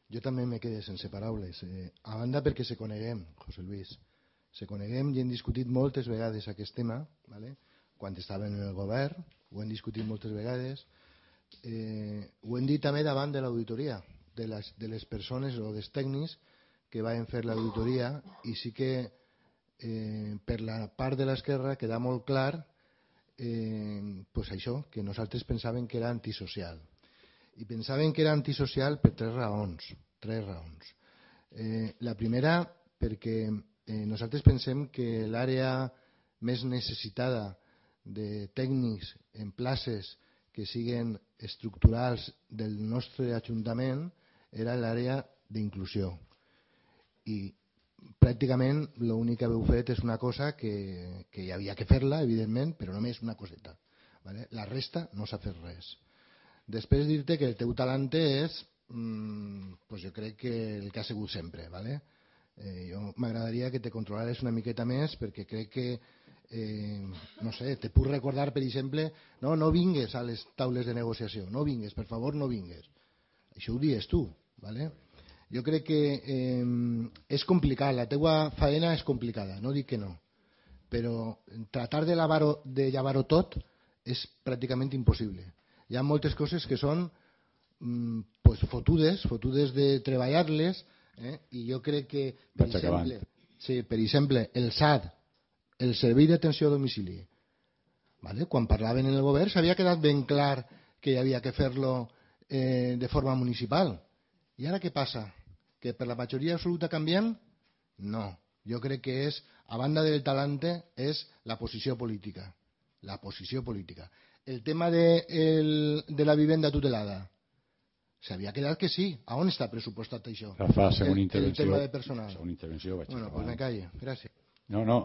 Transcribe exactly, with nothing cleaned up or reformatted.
Jo també me quedé sense paraules. Eh, a banda perquè se coneguem, José Luis. Se coneguem i hem discutit moltes vegades aquest tema, ¿vale? Quan estaven en el govern, ho hem discutit moltes vegades. Eh, ho hem dit també davant de l'auditoria, de les, de les persones o dels tècnics que van fer l'auditoria, i sí que eh, per la part de l'esquerra queda molt clar eh, pues això, que nosaltres pensàvem que era antisocial. I pensaven que era antisocial per tres raons. Tres raons. Eh, la primera, perquè eh, nosaltres pensem que l'àrea més necessitada de tècnics en places que siguen estructurals del nostre Ajuntament era l'àrea d'inclusió. I pràcticament l'únic que heu fet és una cosa que, que hi havia que fer-la, evidentment, però només una coseta. ¿Vale? La resta no s'ha fet res. Després dir-te que el teu talent és, mmm, pues jo crec que el que ha sigut sempre. ¿Vale? Eh, jo m'agradaria que te controlares una miqueta més, perquè crec que, eh, no sé, te puc recordar, per exemple, no, no vingues a les taules de negociació, no vingues, per favor, no vingues. Això ho dius tu. ¿Vale? Jo crec que eh, és complicat, la teua faena és complicada, no dic que no, però tratar de, de llevar-ho tot és pràcticament impossible. Hi ha moltes coses que són mm, pues, fotudes, fotudes de treballar-les, eh? I jo crec que, per exemple, sí, per exemple, el S A D, el Servei d'Atenció a Domicili, ¿vale? Quan parlaven en el govern s'havia quedat ben clar que hi havia que fer-lo eh, de forma municipal. I ara què passa? Que per la majoria absoluta canviem? No. Jo crec que és, a banda del talante, és la posició política. La posició política. El tema de, el, de la vivenda tutelada. S'havia quedat que sí. A on està pressupostat això? Rafa, segona el, intervenció. el tema de personal. Segona intervenció, vaig bueno, acabar. Pues me calle. Gràcies. No, no,